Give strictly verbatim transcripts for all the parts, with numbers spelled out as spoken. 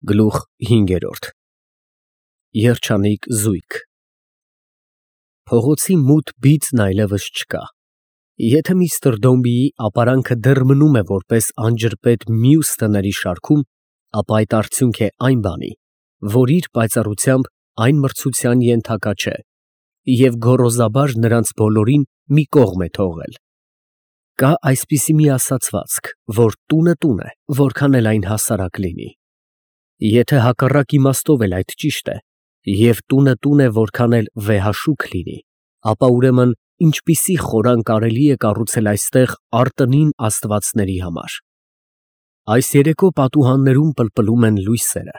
Գլուխ հինգերորդ Երջանիկ զույգ Փողոցի մութ բիծն այլևս չկա։ Եթե միստր Դոմբիի ապարանքը դեռ մնում է որպես անջրպետ մյուս տների շարքում, ապա այդ արդյունք է այն բանի, որ իր պայծառությամբ այն մրցության ենթակա չէ և գոռոզաբար նրանց բոլորին մի կողմ է թողել։ Կա այսպիսի մի ասացվածք, որ տունը տուն է, որքան էլ այն հասարակ լինի։ Եթե հակառակ իմաստով էլ այդ ճիշտ է, և տունը տուն է, որքան էլ վեհաշուք լինի, ապա ուրեմն ինչպիսի խորան կարելի է կառուցել այստեղ արտընին աստվածների համար։ Այս երեկո պատուհաններում պլպլում են լույսերը,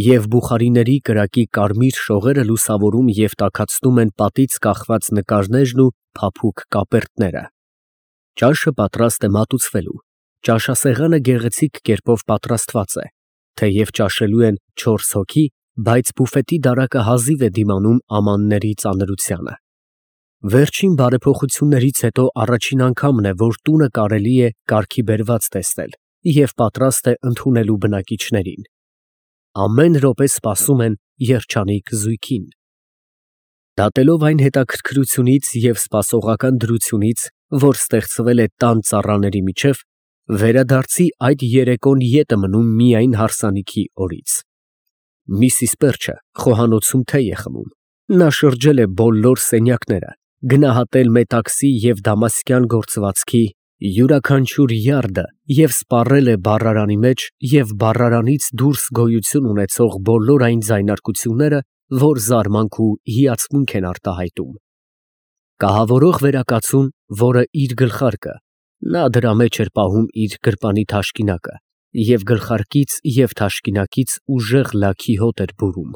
և բուխարիների կրակի կարմիր շողերը լուսավորում և տաքացնում են պատից կախված նկարներն ու փափուկ կապերտները։ Ճաշը պատրաստ է մատուցվելու, ճաշասեղանը գեղեցիկ կերպով պատրաստված է, թեև ճաշելու են չորս հոգի, բայց բուֆետի դարակը հազիվ է դիմանում ամանների ծանրությանը։ Վերջին բարեփոխություններից հետո առաջին անգամն է, որ տունը կարելի է կարգի բերված տեսնել և պատրաստ է ընդունելու բնակիչներին։ Ամեն րոպե սպասում են երջանիկ զույգին։ Դատելով այն հետաքրքրությունից և սպասողական դրությունից, որ ստեղծվել է տան ծառաների միջև, վերադարձի այդ երեկոն ետ է մնում միայն հարսանիքի օրից։ Միսիս Պերչը խոհանոցում թեյ է խմում։ Նա շրջել է բոլոր սենյակները, գնահատել մետաքսի և դամասկյան գործվածքի յուրաքանչյուր յարդը և սպառել է բառարանի մեջ և բառարանից դուրս գոյություն ունեցող բոլոր այն ձայնարկությունները, որ զարմանք ու հիացմունք են արտահայտում։ Կահավորող վերակացուն, որը իր գլխարկը, նա դրա մեջ էր պահում իր գրպանի թաշկինակը և գլխարկից և թաշկինակից ուժեղ լաքի հոտ էր բուրում,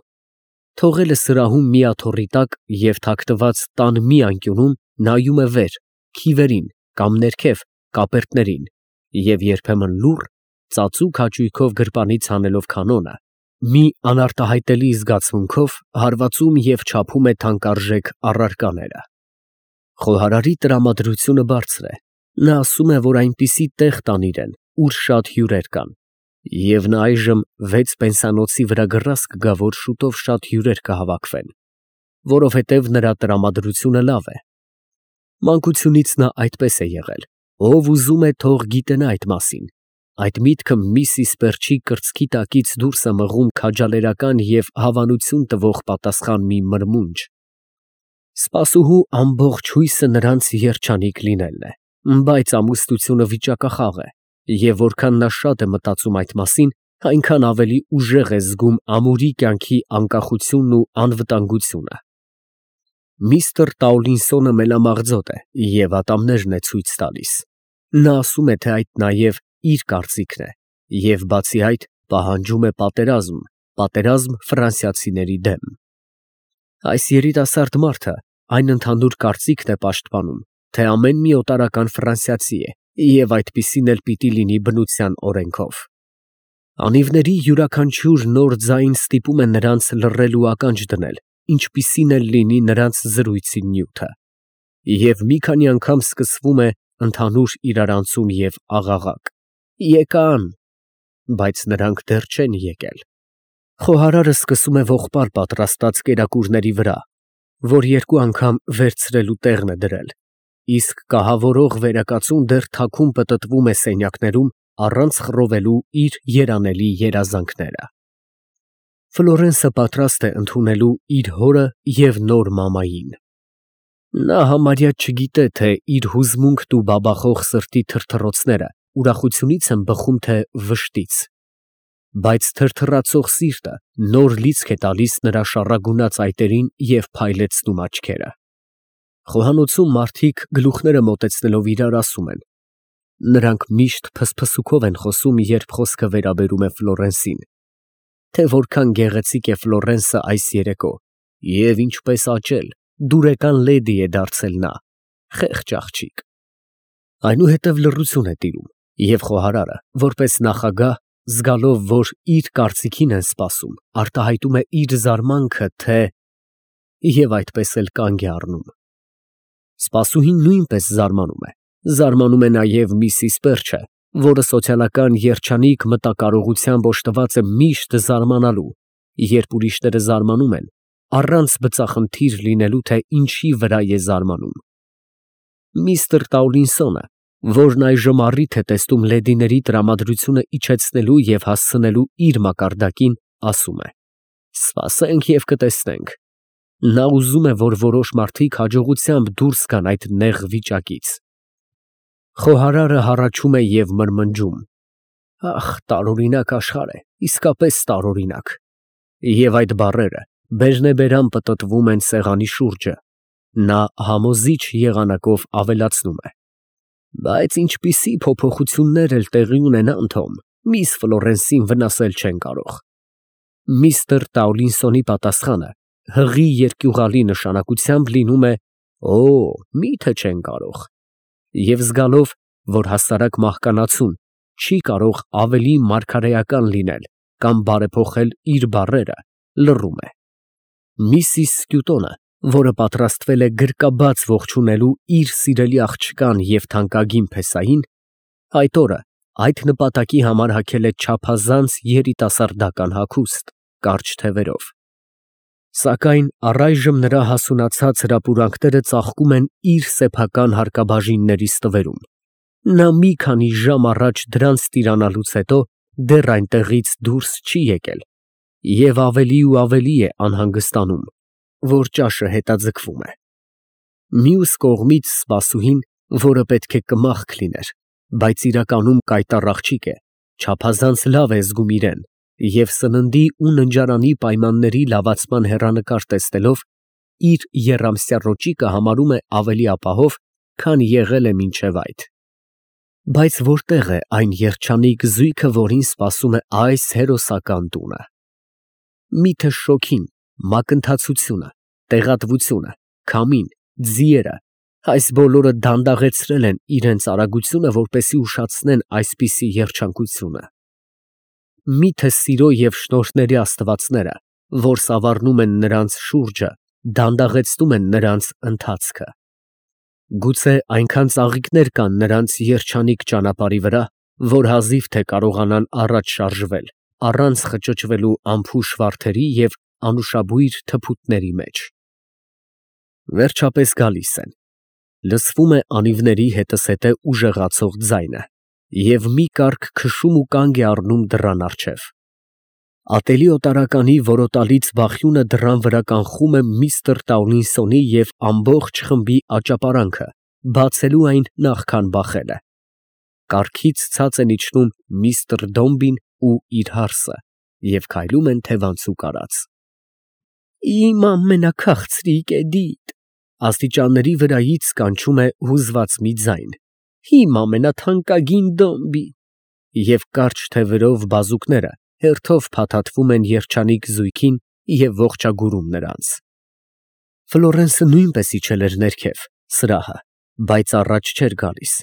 թողել է սրահում մի աթոռի տակ և թաքնված տան մի անկյունում նայում է վեր, քիվերին կամ ներքև կապերտներին և երբեմն լուռ, ծածուկ հաճույքով գրպանից հանելով կանոնը, մի անարտահայտելի զգացմունքով հարվածում և չափում է թանկարժեք առարկաները։ Խոհարարի տրամադրությունը բարձր է, նա ասում է, որ այնպիսի տեղ տան իրեն, ուր շատ հյուրեր կան, և նա այժմ վեց պենսիոնոցի վրա գրազ կգա, որ շուտով շատ հյուրեր կհավաքվեն, որովհետև նրա տրամադրությունը լավ է։ Մանկությունից նա այդպես է եղել, ով ուզում է թող գիտենա այդ մասին, այդ միտքը միսիս Պերչի կրծքի տակից դուրս է մղում քաջալերական և հավանություն տվող պատասխան մի մրմունջ։ Սպասուհու ամբողջ հույսը նրանց երջանիկ լինելն է, բայց ամուսնությունը վիճակախաղ է, և որքան նա շատ է մտածում այդ մասին, այնքան ավելի ուժեղ է զգում ամուրի կյանքի անկախությունն ու անվտանգությունը։ Միսթր Տաուլինսոնը մելամաղձոտ է և ատամներն է ցույց տալիս։ Նա ասում է, թե այդ նաև իր կարծիքն է և բացի այդ պահանջում է պատերազմ, պատերազմ ֆրանսիացիների դեմ։ Այս երիտասարդ մարդը այն ընդհանուր կարծիքն է պաշտպանում, թե ամեն մի օտարական ֆրանսիացի է և այդպիսին էլ պիտի լինի բնության օրենքով։ Անիվների յուրաքանչյուր նոր ձայն ստիպում է նրանց լռել ու ականջ դնել, ինչպիսին էլ լինի նրանց զրույցի նյութը, և մի քանի անգամ սկսվում է ընդհանուր իրարանցում և աղաղակ. «Եկան», բայց նրանք դեռ չեն եկել։ Խոհարարը սկսում է ողբալ պատրաստած կերակուրների վրա, որ երկու անգամ վերցրելու տեղն է դրել, իսկ կահավորող վերակացուն դեռ թաքուն պտտվում է սենյակներում, առանց խռովելու իր երանելի երազանքները։ Ֆլորենսը պատրաստ է ընդունելու իր հորը և նոր մամային։ Նա համարյա չգիտե, թե իր հուզմունքն ու բաբախող սրտի թրթռոցները ուրախությունից են բխում, թե վշտից, բայց թրթռացող սիրտը նոր լիցք է տալիս նրա շառագունած այտերին և փայլեցնում աչքերը։ Խոհանոցում մարդիկ գլուխները մոտեցնելով իրար ասում են. նրանք միշտ փսփսուքով են խոսում, երբ խոսքը վերաբերում է Ֆլորենսին, թե որքան գեղեցիկ է Ֆլորենսը այս երեկո և ինչպես աճել, դուրեկան լեդի է դարձել նա, խեղճ աղջիկ։ Այնուհետև լռություն է տիրում, և խոհարարը, որպես նախագահ, զգալով, որ իր կարծիքին են սպասում, արտահայտում է իր զարմանքը, թե… և այդպես էլ կանգ է առնում։ Սպասուհին նույնպես զարմանում է, զարմանում է նաև միսիս Պերչը, որը սոցիալական երջանիկ մտակարողությամբ օժտված է միշտ զարմանալու, երբ ուրիշները զարմանում են, առանց բծախնդիր լինելու, թե ինչի վրա է զարմանում։ Միստր Տաուլինսոնը, որն այժմ առիթ է տեսնում լեդիների տրամադրությունը իջեցնելու և հասցնելու իր մակարդակին, ասում է. «Սպասենք և կտեսնենք»։ Նա ուզում է, որ որոշ մարդիկ հաջողությամբ դուրս գան այդ նեղ վիճակից։ Խոհարարը հառաչում է և մրմնջում. «Ախ, տարօրինակ աշխարհ է, իսկապես տարօրինակ»։ Եվ այդ բառերը բերնեբերան պտտվում են սեղանի շուրջը։ Նա համոզիչ եղանակով ավելացնում է. «Բայց ինչպիսի փոփոխություններ էլ տեղի ունենան, Թոմ, միս Ֆլորենսին վնասել չեն կարող»։ Միստր Տաուլինսոնի պատասխանը հղի երկյուղալի նշանակությամբ լինում է. «Օ, մի՞թե չեն կարող»։ Եվ զգալով, որ հասարակ մահկանացուն չի կարող ավելի մարգարեական լինել կամ բարեփոխել իր բառերը, լռում է։ Միսիս Սկյուտոնը, որը պատրաստվել է գրկաբաց ողջունելու իր սիրելի աղջկան և թանկագին փեսային, այդ օրը այդ նպատակի համար հագել է չափազանց երիտասարդական հագուստ, կարճ թևերով։ Սակայն առայժմ նրա հասունացած հրապուրանքները ծաղկում են իր սեփական հարկաբաժինների ստվերում։ Նա մի քանի ժամ առաջ դրանց տիրանալուց հետո դեռ այնտեղից դուրս չի եկել և ավելի ու ավելի է անհանգստանում, որ ճաշը հետաձգվում է։ Մյուս կողմից սպասուհին, որը պետք է կմախք լիներ, բայց իրականում կայտառ աղջիկ է, չափազանց լավ է զգում իրեն և սննդի ու ննջարանի պայմանների լավացման հեռանկար տեսնելով, իր եռամսյա ռոճիկը համարում է ավելի ապահով, քան եղել է մինչև այդ։ Բայց որտե՞ղ է այն երջանիկ զույգը, որին սպասում է այս հերոսական տունը։ Միթե շոգին, մակընթացությունը, տեղատվությունը, քամին, ձիերը, այս բոլորը դանդաղեցրել են իրենց արագությունը, որպեսզի ուշացնեն այսպիսի երջանկությունը։ Միթե սիրո և շնորհների աստվածները, որ սավառնում են նրանց շուրջը, դանդաղեցնում են նրանց ընթացքը։ Գուցե այնքան ծաղիկներ կան նրանց երջանիկ ճանապարհի վրա, որ հազիվ թե կարողանան առաջ շարժվել, առանց խճճվելու անփուշ վարդերի և անուշաբույր թփուտների մեջ։ Վերջապես գալիս են։ Լսվում է անիվների հետզհետե ուժեղացող ձայնը, և մի կառք քշում ու կանգ է առնում դռան առջև։ Ատելի օտարականի որոտալից բախյունը դռան վրա կանխում է միստր Տաուլինսոնի և ամբողջ խմբի աճապարանքը, բացելու այն նախքան բախելը։ Կառքից ցած են իջնում միստր Դոմբին ու իր հարսը և քայլում են թևանցուկ արած։ «Իմ ամենաքաղցրիկ Էդիթ», աստիճանների վրայից կանչում է հուզված մի ձայն, «իմ ամենաթանկագին Դոմբի», և կարճ թևերով բազուկները հերթով փաթաթվում են երջանիկ զույգին և ողջագուրում նրանց։ Ֆլորենսը նույնպես իջել էր ներքև, սրահը, բայց առաջ չէր գալիս։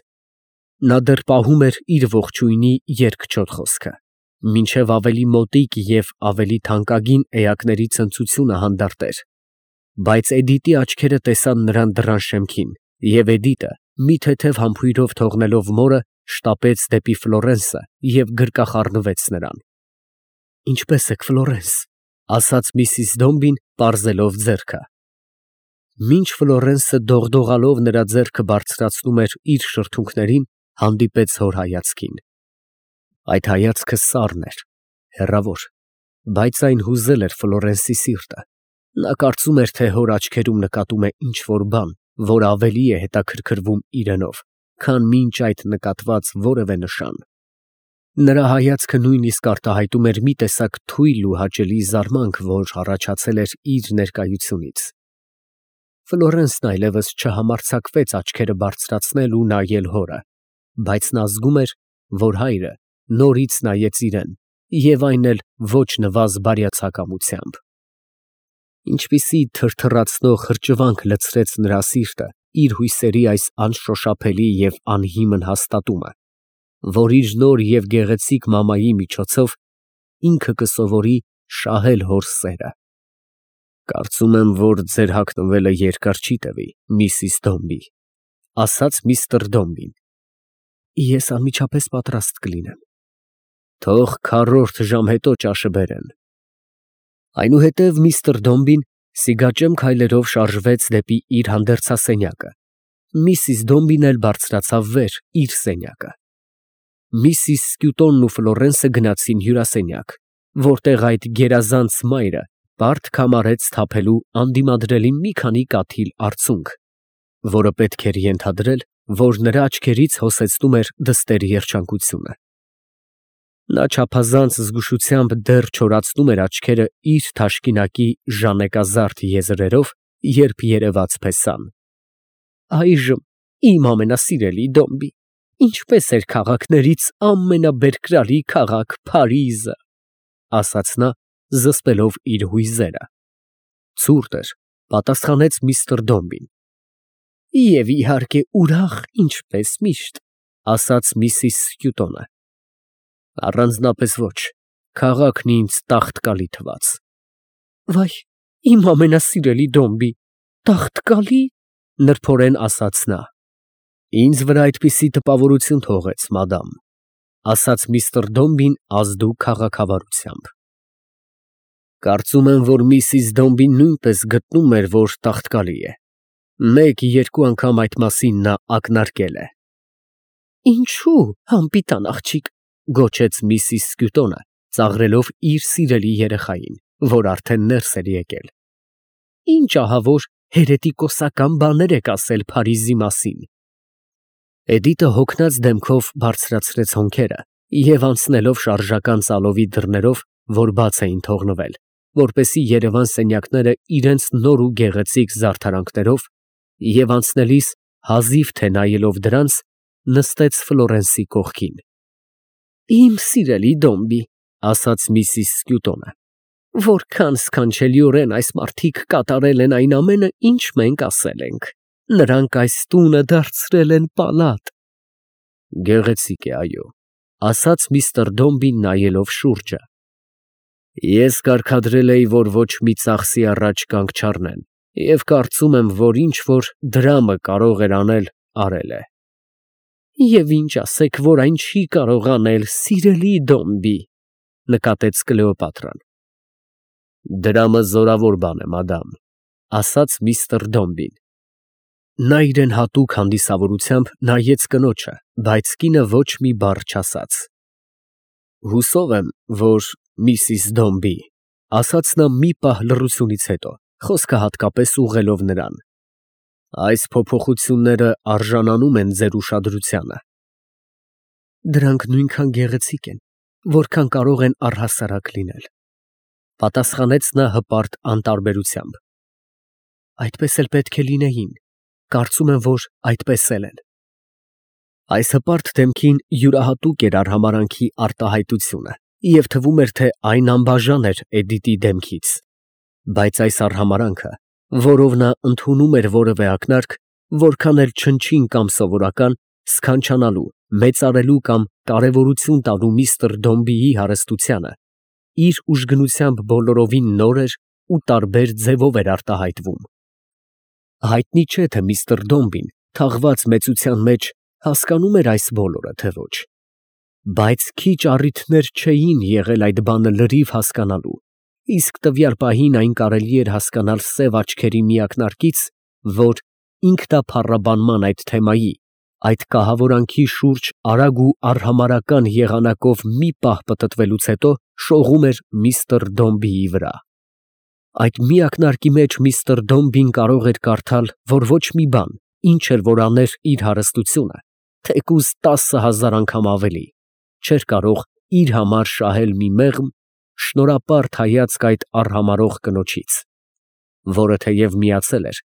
Նա դեռ պահում էր իր ողջույնի երկչոտ խոսքը, մինչև ավելի մոտիկ և ավելի թանկագին էակների ցնծությունը հանդարտեր։ Բայց Էդիտի աչքերը տեսան նրան դռան շեմքին, և Էդիտը, մի թեթև համբույրով թողնելով մորը, շտապեց դեպի Ֆլորենսը և գրկախառնվեց նրան։ «Ինչպե՞ս եք, Ֆլորենս», ֊ ասաց միսիս Դոմբին, պարզելով ձեռքը։ Մինչ Ֆլորենսը դողդողալով նրա ձեռքը բարձրացնում էր իր շրթունքներին, հանդիպեց հոր հայացքին։ Այդ հայացքը սառն էր, հեռավոր, բայց այն հուզել էր Ֆլորենսի սիրտը։ Նա կարծում էր, թե հոր աչքերում նկատում է ինչ֊որ բան, որ ավելի է հետաքրքրում իրենով, քան մինչ այդ նկատված որևէ նշան։ Նրա հայացքը նույնիսկ արտահայտում էր մի տեսակ թույլ ու հաճելի զարմանք, որ առաջացել էր իր ներկայությունից։ Ֆլորենսն այլևս չհամարձակվեց աչքերը բարձրացնել ու նայել հորը, բայց նա զգում էր, որ հայրը նորից նայեց իրեն, և այն էլ ոչ նվազ բարյացակամությամբ։ Ինչպիսի թրթռացնող հրճվանք լցրեց նրա սիրտը իր հույսերի այս անշոշափելի և անհիմն հաստատումը, որ իր նոր և գեղեցիկ մամայի միջոցով ինքը կսովորի շահել հոր սերը։ «Կարծում եմ, որ ձեր հագնվելը երկար չի տևի, միսիս Դոմբի», ֊ ասաց միստր Դոմբին։ Ես անմիջապես պատրաստ կլինեմ։ Թող քառորդ ժամ հետո ճաշը բերեն։ Այնուհետև միստր Դոմբին սիգաճեմ քայլերով շարժվեց դեպի իր հանդերձասենյակը, միսիս Դոմբին էլ բարձրացավ վեր իր սենյակը։ Միսիս Սկյուտոնն ու Ֆլորենսը գնացին հյուրասենյակ, որտեղ այդ գերազանց մայրը բարդ կամարեց թափելու անդիմադրելի մի քանի կաթիլ արցունք, որը պետք էր ենթադրել, որ նրա աչքերից հոսեցնում էր դստերի երջանկությունը։ Նա չափազանց զգուշությամբ դեռ չորացնում էր աչքերը իր թաշկինակի ժանեկազարդ եզրերով, երբ երևաց փեսան։ Այժմ իմ ամենասիրելի Դոմբի, ինչպես էր քաղաքներից ամենաբերկրալի քաղաք Փարիզը, ասաց նա, զսպելով իր հույզերը։ Ցուրտ էր, պատասխանեց միստր Դոմբին։ Եվ իհարկե ուրախ, ինչպես միշտ, ասաց միսիս Սկյուտոնը։ Առանձնապես ոչ, քաղաքն ինձ տաղտկալի թվաց։ Վայ, իմ ամենասիրելի Դոմբի, տաղտկալի, նրբորեն ասաց նա։ Ինձ վրա այդպիսի տպավորություն թողեց, մադամ, ասաց միստր Դոմբին ազդու քաղաքավարությամբ։ Կարծում եմ, որ միսիս Դոմբին նույնպես գտնում էր, որ տաղտկալի է։ Մեկ-երկու անգամ այդ մասին նա ակնարկել է։ Ինչու, անպիտան աղջիկ, գոչեց միսիս Սկյուտոնը, ծաղրելով իր սիրելի երեխային, որ արդեն ներս էր եկել։ Ինչ ահավոր հերետիկոսական բաներ եք ասել Փարիզի մասին։ Էդիտը հոգնած դեմքով բարձրացրեց հոնքերը և անցնելով շարժական ծալովի դռներով, որ բաց էին թողնվել, որպեսզի երևան սենյակները իրենց նոր ու գեղեցիկ զարդարանքներով, և անցնելիս հազիվ թե նայելով դրանց, նստեց Ֆլորենսի կողքին։ Իմ սիրելի Դոմբի, ասաց միսիս Սկյուտոնը, որքան սքանչելիորեն այս մարդիկ կատարել են այն ամենը, ինչ մենք ասել ենք։ Նրանք այս տունը դարձրել են պալատ։ Գեղեցիկ է, այո, ասաց միստր Դոմբին նայելով շուրջը։ Ես կարգադրել էի, որ ոչ մի ծախսի առաջ կանգ չառնեն, և կարծում եմ, որ ինչ որ դրամը կարող էր անել, արել է։ Եվ ինչ ասեք, որ այն չի կարող անել, սիրելի Դոմբի, նկատեց Կլեոպատրան։ Դրամը զորավոր բան է, մադամ, ասաց միստր Դոմբին։ Նա իրեն հատուկ հանդիսավորությամբ նայեց կնոջը, բայց կինը ոչ մի բառ չասաց։ Հուսով եմ, որ միսիս Դոմբի, ասաց նա մի պահ լռությունից հետո, խոսքը հատկապես ուղղելով նրան, այս փոփոխությունները արժանանում են ձեր ուշադրությանը։ Դրանք նույնքան գեղեցիկ են, որքան կարող են առհասարակ լինել, պատասխանեց նա հպարտ անտարբերությամբ։ Այդպես էլ պետք է լինեին, կարծում եմ, որ այդպես էլ են։ Այս հպարտ դեմքին յուրահատուկ էր արհամարհանքի արտահայտությունը, և թվում էր, թե այն անբաժան էր Էդիտի դեմքից, բայց այս արհամարհանքը, որով նա ընդունում էր որևէ ակնարկ, որքան էլ չնչին կամ սովորական, սքանչանալու, մեծարելու կամ կարևորություն տալու միստր Դոմբիի հարստությանը, իր ուժգնությամբ բոլորովին նոր էր ու տարբեր ձևով էր արտահայտվում։ Հայտնի չէ, թե միստր Դոմբին, թաղված մեծության մեջ, հասկանում էր այս բոլորը, թե ոչ, բայց քիչ առիթներ չէին եղել այդ բանը լրիվ հասկանալու, իսկ տվյալ պահին այն կարելի էր հասկանալ սև աչքերի մի ակնարկից, որ ինքնափառաբանման այդ թեմայի, այդ կահավորանքի շուրջ արագ ու արհամարհական եղանակով մի պահ պտտվելուց հետո շողում էր միստր Դոմբիի վրա։ Այդ մի ակնարկի մեջ միստր Դոմբին կարող էր կարդալ, որ ոչ մի բան, ինչ էլ որ աներ իր հարստությունը, թեկուզ տասը հազար անգամ ավելի, չէր կարող իր համար շահել մի մեղմ, շնորհապարտ հայացք այդ արհամարհող կնոջից, որը թեև միացել էր,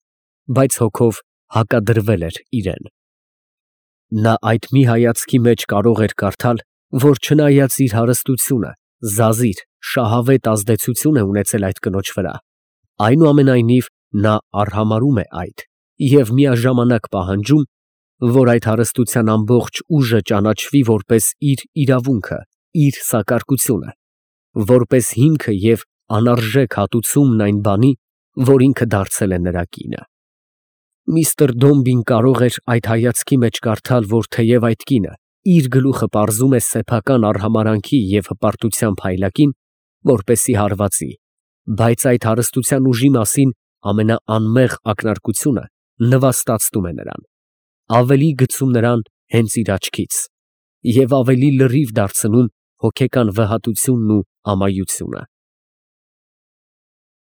բայց հոգով հակադրվել էր իրեն։ Նա այդ մի հայացքի մեջ կարող էր կարդալ, որ չնայած իր հարստությունը, զազիր, շահավետ ազդեցություն է ունեցել այդ կնոջ վրա, այնուամենայնիվ նա արհամարհում է այդ և միաժամանակ պահանջում, որ այդ հարստության ամբողջ ուժը ճանաչվի որպես իր իրավունքը, իր սակարկությունը, որպես հիմքը և անարժեք հատուցումն այն բանի, որ ինքը դարձել է նրա կինը։ Միստր Դոմբին կարող էր այդ հայացքի մեջ կարդալ, որ թեև այդ կինը իր գլուխը պարզում է սեփական արհամարհանքի և հպարտության փայլակին, որպեսզի հարվածի, բայց այդ հարստության ուժի մասին ամենաանմեղ ակնարկությունը նվաստացնում է նրան, ավելի գցում նրան հենց իր աչքից և ավելի լրիվ դարձնում հոգեկան վհատությունն ու ամայությունը։